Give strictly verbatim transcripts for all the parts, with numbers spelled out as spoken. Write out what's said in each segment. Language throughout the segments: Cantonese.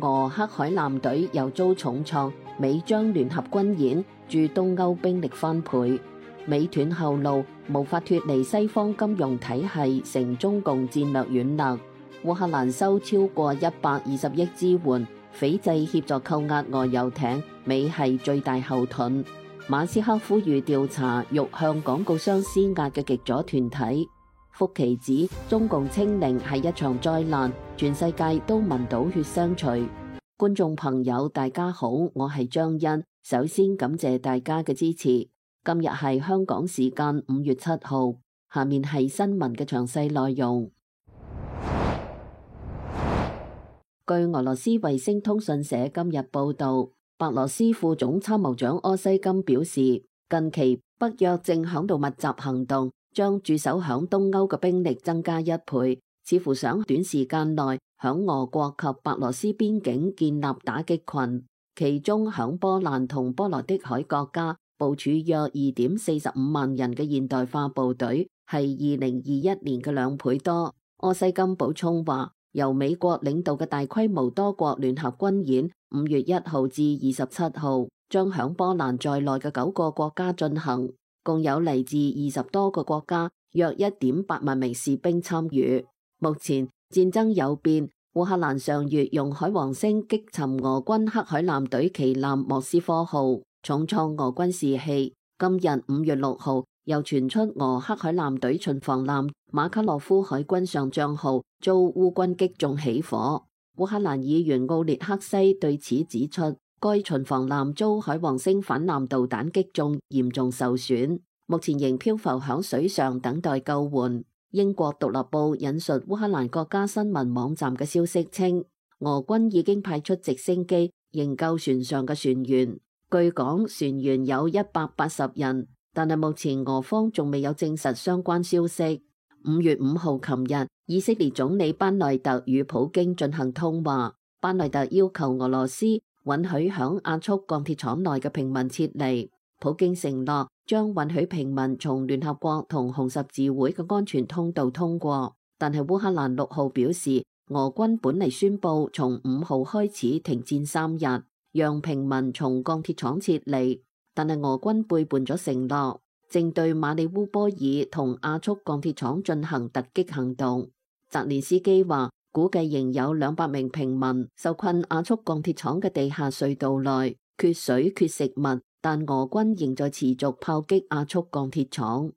俄黑海艦隊又遭重創，美將聯合軍演，駐東歐兵力翻倍。美斷後路，無法脫離西方金融體系，成中共戰略軟肋。烏克蘭收超過一百二十億支援，斐濟協助扣押俄遊艇，美係最大後盾。馬斯克呼籲調查欲向廣告商施壓嘅極左團體。福奇指中共清零係一場災難，全世界都聞到血腥味。觀眾朋友大家好，我係張欣，首先感謝大家嘅支持。今日係香港時間五月七號，下面係新聞嘅詳細內容。據俄羅斯衛星通訊社今日報道，白羅斯副總參謀長柯西金表示，近期北約正響度密集行動，將駐守響東歐嘅兵力增加一倍，似乎想短時間內響俄國及白羅斯邊境建立打擊群。其中響波蘭同波羅的海國家部署約二點四十五萬人嘅現代化部隊，係二零二一年嘅兩倍多。柯西金補充話，由美國領導嘅大規模多國聯合軍演，五月一號至二十七號，將響波蘭在內嘅九個國家進行，共有嚟自二十多個國家，約一點八萬名士兵參與。目前戰爭有變，烏克蘭上月用海王星擊沉俄軍黑海艦隊旗艦莫斯科號，重創俄軍士氣。今日五月六號，又傳出俄黑海艦隊巡防艦馬卡洛夫海軍上將號遭烏軍擊中起火。烏克蘭議員奧列克西對此指出，該巡防艦遭海王星反艦導彈擊中，嚴重受損，目前仍漂浮響水上等待救援。英國獨立報引述烏克蘭國家新聞網站嘅消息稱，俄軍已經派出直升機營救船上嘅船員，據講船員有一百八十人，但係目前俄方仲未有證實相關消息。五月五號琴日，以色列總理班內特與普京進行通話，班內特要求俄羅斯允許響亞速鋼鐵廠內嘅平民撤離，普京承諾將允許平民從聯合國同紅十字會嘅安全通道通過。但係烏克蘭六號表示，俄軍本嚟宣布從五號開始停戰三日，讓平民從鋼鐵廠撤離，但係俄軍背叛咗承諾，正對馬里烏波爾同亞速鋼鐵廠進行突擊行動。澤連斯基話，估計仍有兩百名平民受困亞速鋼鐵廠嘅地下隧道內，缺水缺食物，但俄軍仍在持續炮擊亞速鋼鐵廠。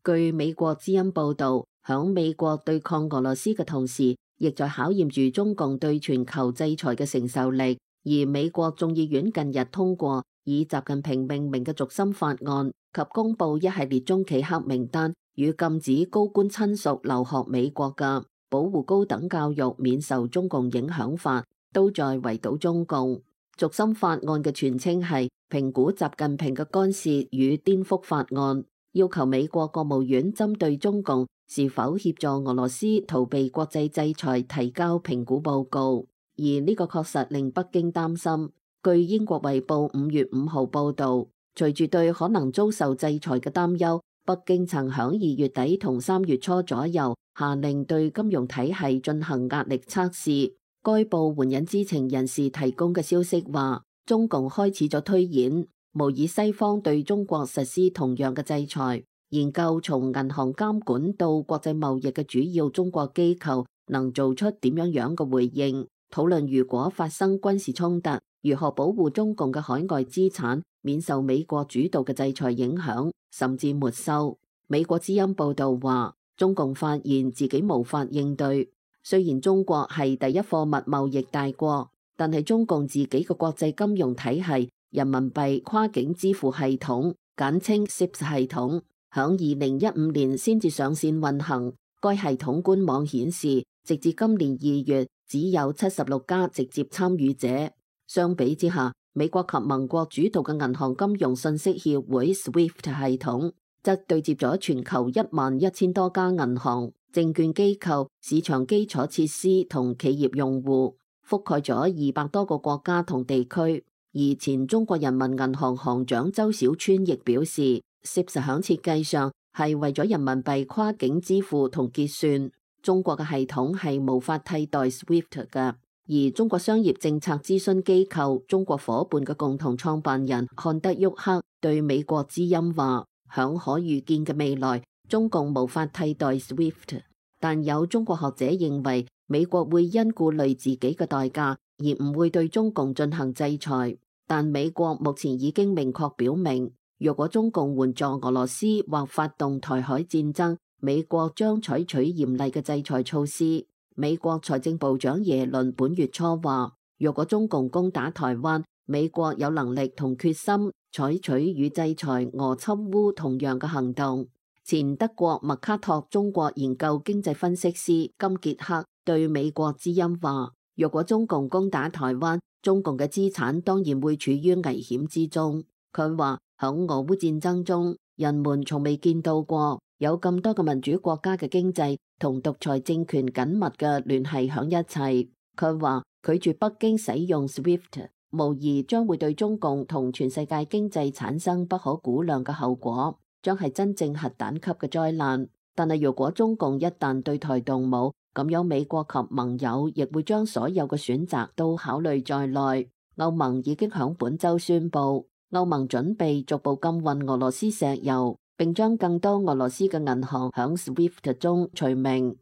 據美國之音報道，響美國對抗俄羅斯嘅同時，亦在考驗住中共對全球制裁嘅承受力。而美國眾議院近日通過以習近平命名嘅軸心法案及公布一系列中企黑名單與禁止高官親屬留學美國嘅保護高等教育免受中共影響法，都在圍堵中共。軸心法案嘅全稱係評估習近平嘅干涉與顛覆法案，要求美國國務院針對中共是否協助俄羅斯逃避國際制裁提交評估報告。而呢個確實令北京擔心。據英國衛報五月五號報導，隨住對可能遭受制裁嘅擔憂，北京曾響二月底同三月初左右下令對金融體系進行壓力測試。該報援引知情人士提供嘅消息話，中共開始咗推演，模擬西方對中國實施同樣嘅制裁，研究從銀行監管到國際貿易嘅主要中國機構能做出點樣樣嘅回應。討論如果發生軍事衝突，如何保護中共嘅海外資產免受美國主導嘅制裁影響，甚至沒收。美國之音報導話，中共發現自己無法應對。雖然中國係第一貨物貿易大國，但係中共自己嘅國際金融體系人民幣跨境支付系統，簡稱 S I P S 系統，響二零一五年先至上線運行。該系統官網顯示，直至今年二月，只有七十六家直接參與者。相比之下，美國及盟國主導嘅銀行金融信息協會 S W I F T 系統則對接咗全球一萬一千多家銀行、證券機構、市場基礎設施同企業用戶，覆蓋咗二百多個國家同地區。而前中國人民銀行行長周小川亦表示，S I P S 響設計上係為咗人民幣跨境支付同結算。中國嘅系統係無法替代 SWIFT 嘅。而中國商業政策諮詢機構中國夥伴嘅共同創辦人漢德沃克對美國之音話，響可預見嘅未來，中共無法替代 SWIFT。但有中國學者認為，美國會因顧慮自己嘅代價，而唔會對中共進行制裁。但美國目前已經明確表明，若果中共援助俄羅斯或發動台海戰爭，美國將採取嚴厲嘅制裁措施。美國財政部長耶倫本月初話，若果中共攻打台灣，美國有能力同決心採取與制裁俄侵烏同樣嘅行動。前德國麥卡托中國研究經濟分析師金傑克對美國之音話，若果中共攻打台灣，中共嘅資產當然會處於危險之中。佢話響俄烏戰爭中，人們從未見到過有咁多嘅民主國家嘅經濟同獨裁政權緊密嘅聯繫響一齊。佢話拒絕北京使用 SWIFT， 無疑將會對中共同全世界經濟產生不可估量嘅後果，將係真正核彈級嘅災難。但係如果中共一旦對台動武，咁樣美國及盟友亦會將所有嘅選擇都考慮在內。歐盟已經響本週宣布，歐盟準備逐步禁運俄羅斯石油，並將更多俄羅斯嘅銀行響 SWIFT 中除名。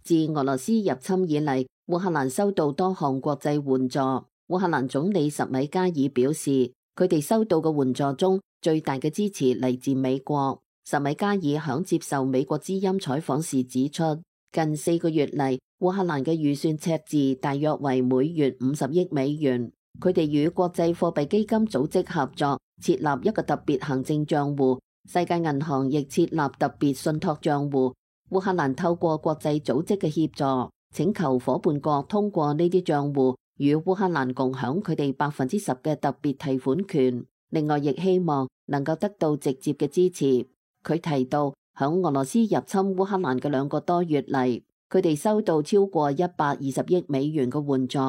自俄羅斯入侵以嚟，烏克蘭收到多項國際援助。烏克蘭總理什米加爾表示，佢哋收到嘅援助中，最大嘅支持嚟自美國。什米加爾響接受美國之音採訪時指出，近四個月嚟，烏克蘭嘅預算赤字大約為每月五十億美元。佢哋與國際貨幣基金組織合作，設立一個特別行政賬戶，世界銀行亦設立特別信託賬戶。烏克蘭透過國際組織嘅協助，請求夥伴國通過呢啲賬戶與烏克蘭共享佢哋百分之十嘅特別提款權。另外，亦希望能夠得到直接嘅支持。佢提到，響俄羅斯入侵烏克蘭嘅兩個多月嚟，佢哋收到超過一百二十億美元嘅援助，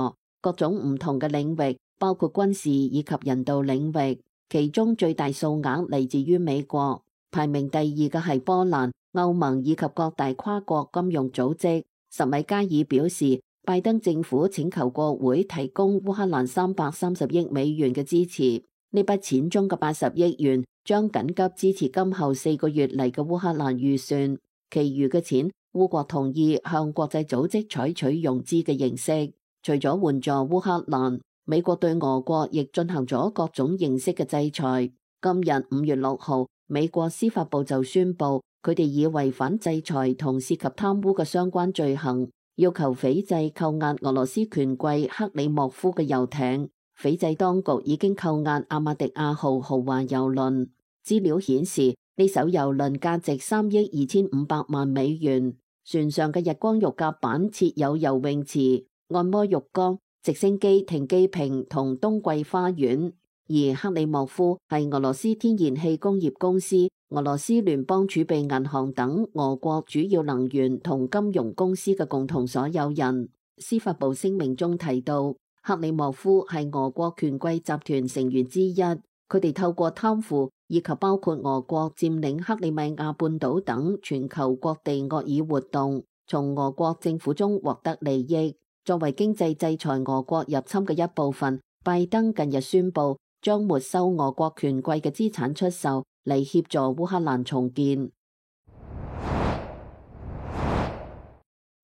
各種唔同嘅領域，包括軍事以及人道領域。其中最大數額嚟自於美國，排名第二嘅係波蘭、歐盟以及各大跨國金融組織。什米加爾表示，拜登政府請求國會提供烏克蘭三百三十億美元嘅支持。呢筆錢中嘅八十億元將緊急支持今後四個月嚟嘅烏克蘭預算，其餘嘅錢烏國同意向國際組織採取融資嘅形式。除咗援助烏克蘭，美國對俄國亦進行咗各種形式嘅制裁。今日五月六號，美國司法部就宣布，佢哋以違反制裁同涉及貪污嘅相關罪行，要求斐濟扣押俄羅斯權貴克里莫夫嘅遊艇。斐濟當局已經扣押阿馬迪亞號豪華郵輪。資料顯示，呢艘郵輪價值三億二千五百萬美元。船上嘅日光浴甲板設有游泳池、按摩浴缸、直升機停機坪同冬季花園。而克里莫夫係俄羅斯天然氣工業公司、俄羅斯聯邦儲備銀行等俄國主要能源同金融公司嘅共同所有人。司法部聲明中提到，克里莫夫係俄國權貴集團成員之一，佢哋透過貪腐以及包括俄國佔領克里米亞半島等全球各地惡意活動，從俄國政府中獲得利益。作為經濟制裁俄國入侵嘅一部分，拜登近日宣布將沒收俄國權貴嘅資產出售，嚟協助烏克蘭重建。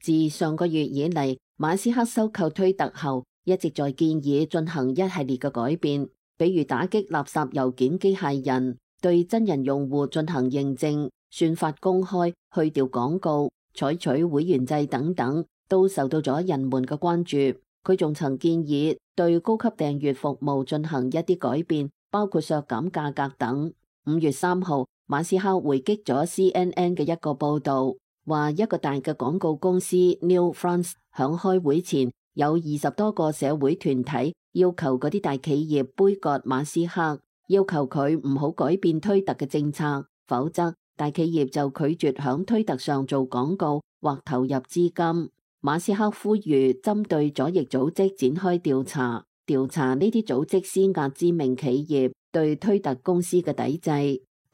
自上個月以嚟，馬斯克收購推特後，一直在建議進行一系列嘅改變，比如打擊垃圾郵件機械人，對真人用戶進行認證、算法公開、去掉廣告、採取會員制等等，都受到咗人們嘅關注。佢仲曾建議對高級訂閱服務進行一啲改變，包括削減價格等。五月三號，馬斯克回擊咗 C N N 嘅一個報導，話一個大嘅廣告公司 New France 響開會前，有二十多個社會團體要求嗰啲大企業杯葛馬斯克，要求佢唔好改變推特嘅政策，否則大企業就拒絕響推特上做廣告或投入資金。馬斯克呼籲針對左翼組織展開調查，調查呢啲組織施壓知名企業對推特公司嘅抵制。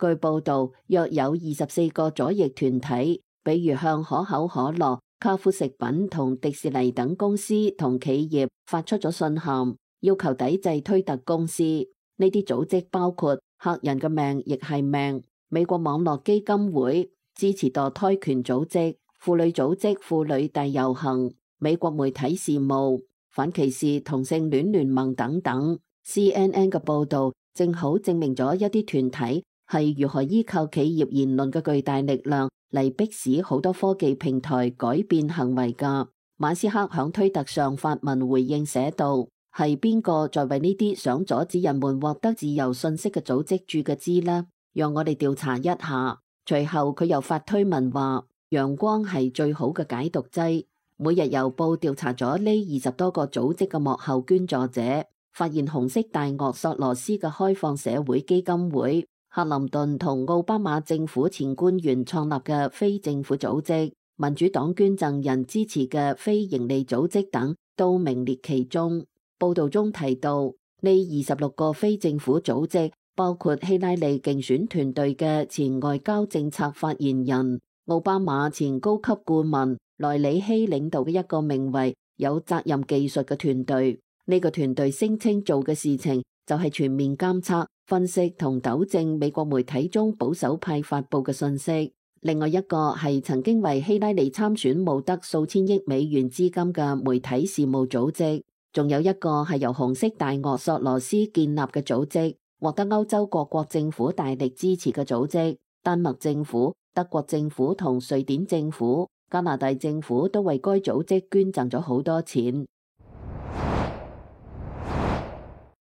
據報道，約有二十四個左翼團體，比如向可口可樂、卡夫食品同迪士尼等公司同企業發出咗信函，要求抵制推特公司。呢啲組織包括客人嘅命亦係命、美國網絡基金會、支持墮胎權組織、婦女組織婦女大遊行、美國媒體事務、反歧視同性戀聯盟等等。C N N 嘅報導正好證明咗一啲團體係如何依靠企業言論嘅巨大力量嚟迫使好多科技平台改變行為㗎。馬斯克響推特上發文回應寫道：係邊個在為呢啲想阻止人們獲得自由信息嘅組織注嘅資呢？讓我哋調查一下。隨後佢又發推文話：陽光係最好嘅解毒劑。每日郵報調查咗呢二十多個組織嘅幕後捐助者，發現紅色大鱷索羅斯嘅開放社會基金會、克林頓同奧巴馬政府前官員創立嘅非政府組織、民主黨捐贈人支持嘅非營利組織等都名列其中。報道中提到，呢二十六個非政府組織包括希拉里競選團隊嘅前外交政策發言人、奧巴馬前高級顧問萊里希領導嘅一個名為有責任技術嘅團隊。呢個團隊聲稱做嘅事情就係全面監測、分析同糾正美國媒體中保守派發布嘅信息。另外一個係曾經為希拉里參選募得數千億美元資金嘅媒體事務組織。仲有一個係由紅色大鱷索羅斯建立嘅組織，獲得歐洲各國政府大力支持嘅組織。丹麥政府、德國政府同瑞典政府、加拿大政府都為該組織捐贈咗好多錢。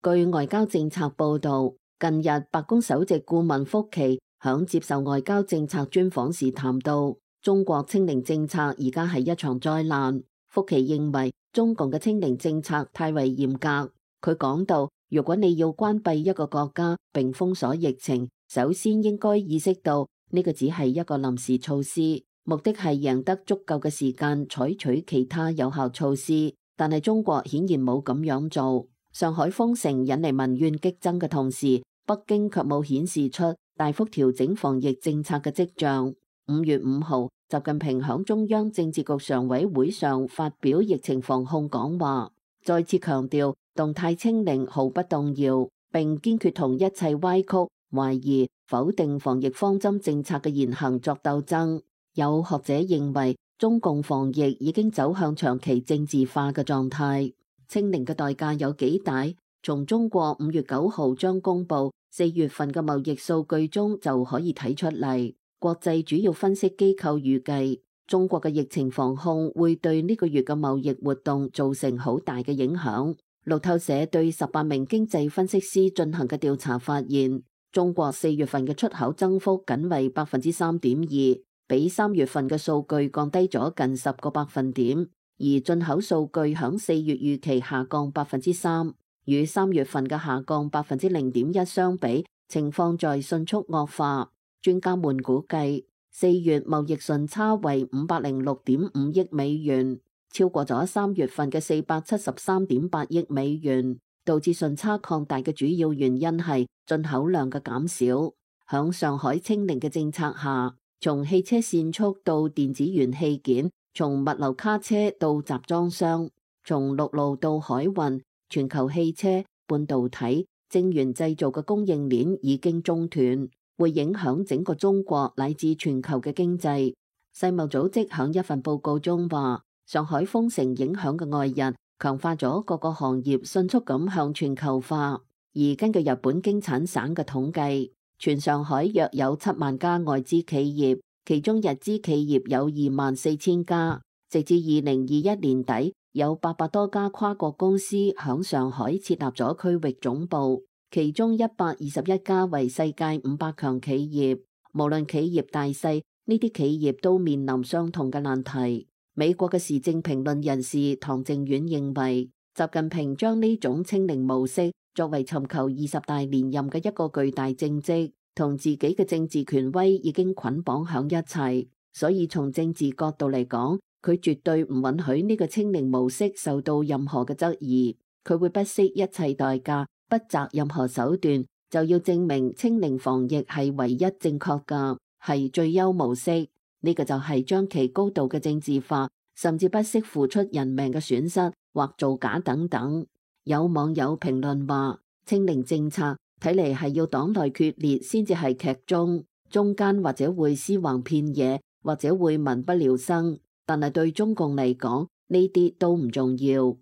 據外交政策報導，近日白宮首席顧問福奇響接受外交政策專訪時談到，中國清零政策而家係一場災難。福奇認為中共嘅清零政策太為嚴格。佢講到，如果你要關閉一個國家並封鎖疫情，首先應該意識到呢個只係一個臨時措施，目的係贏得足夠嘅時間採取其他有效措施。但係中國顯然冇咁樣做。上海封城引嚟民怨激增嘅同時，北京卻冇顯示出大幅調整防疫政策嘅跡象。五月五號，習近平響中央政治局常委會上發表疫情防控講話，再次強調動態清零毫不動搖，並堅決同一切歪曲、懷疑、否定防疫方針政策嘅言行作鬥爭。有學者認為，中共防疫已經走向長期政治化嘅狀態。清零嘅代價有幾大？從中國五月九號將公布四月份嘅貿易數據中就可以睇出嚟。國際主要分析機構預計，中國嘅疫情防控會對呢個月嘅貿易活動造成好大嘅影響。路透社對十八名經濟分析師進行嘅調查發現，中國四月份嘅出口增幅僅為百分之三點二，比三月份嘅數據降低咗近十個百分點。而進口數據響四月預期下降百分之三，與三月份嘅下降百分之零點一相比，情況在迅速惡化。專家們估計，四月貿易順差為五百零六點五億美元，超過咗三月份嘅四百七十三點八億美元。導致順差擴大嘅主要原因係進口量嘅減少。響上海清零嘅政策下，從汽車線速到電子元器件，從物流卡車到集裝箱，從陸路到海運，全球汽車、半導體、晶圓製造嘅供應鏈已經中斷，會影響整個中國乃至全球嘅經濟。世貿組織響一份報告中話，上海封城影響嘅外溢強化咗各個行業迅速咁向全球化。而根據日本經產省嘅統計，全上海約有七萬家外資企業，其中日資企業有二萬四千家。直至二零二一年底，有八百多家跨國公司響上海設立咗區域總部，其中一百二十一家為世界五百強企業。無論企業大細，呢啲企業都面臨相同嘅難題。美國嘅時政評論人士唐靖遠認為，習近平將呢種清零模式作為尋求二十大連任嘅一個巨大政績，同自己嘅政治權威已經捆綁響一齊，所以從政治角度嚟講，佢絕對唔允許呢個清零模式受到任何嘅質疑，佢會不惜一切代價，不擇任何手段，就要證明清零防疫係唯一正確㗎，係最優模式。呢個就係將其高度嘅政治化，甚至不惜付出人命嘅損失或造假等等。有網友評論話，清零政策睇嚟係要黨內決裂先至係劇中，中間或者會屍橫遍野，或者會民不聊生，但係對中共嚟講呢啲都唔重要。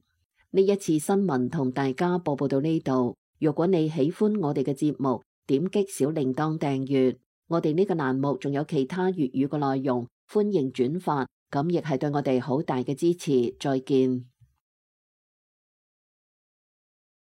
呢一次新聞同大家播報到呢度。如果你喜歡我哋嘅節目，點擊小鈴鐺訂閱。我哋呢個欄目仲有其他粵語嘅內容，歡迎轉發，咁亦係對我哋好大嘅支持。再見。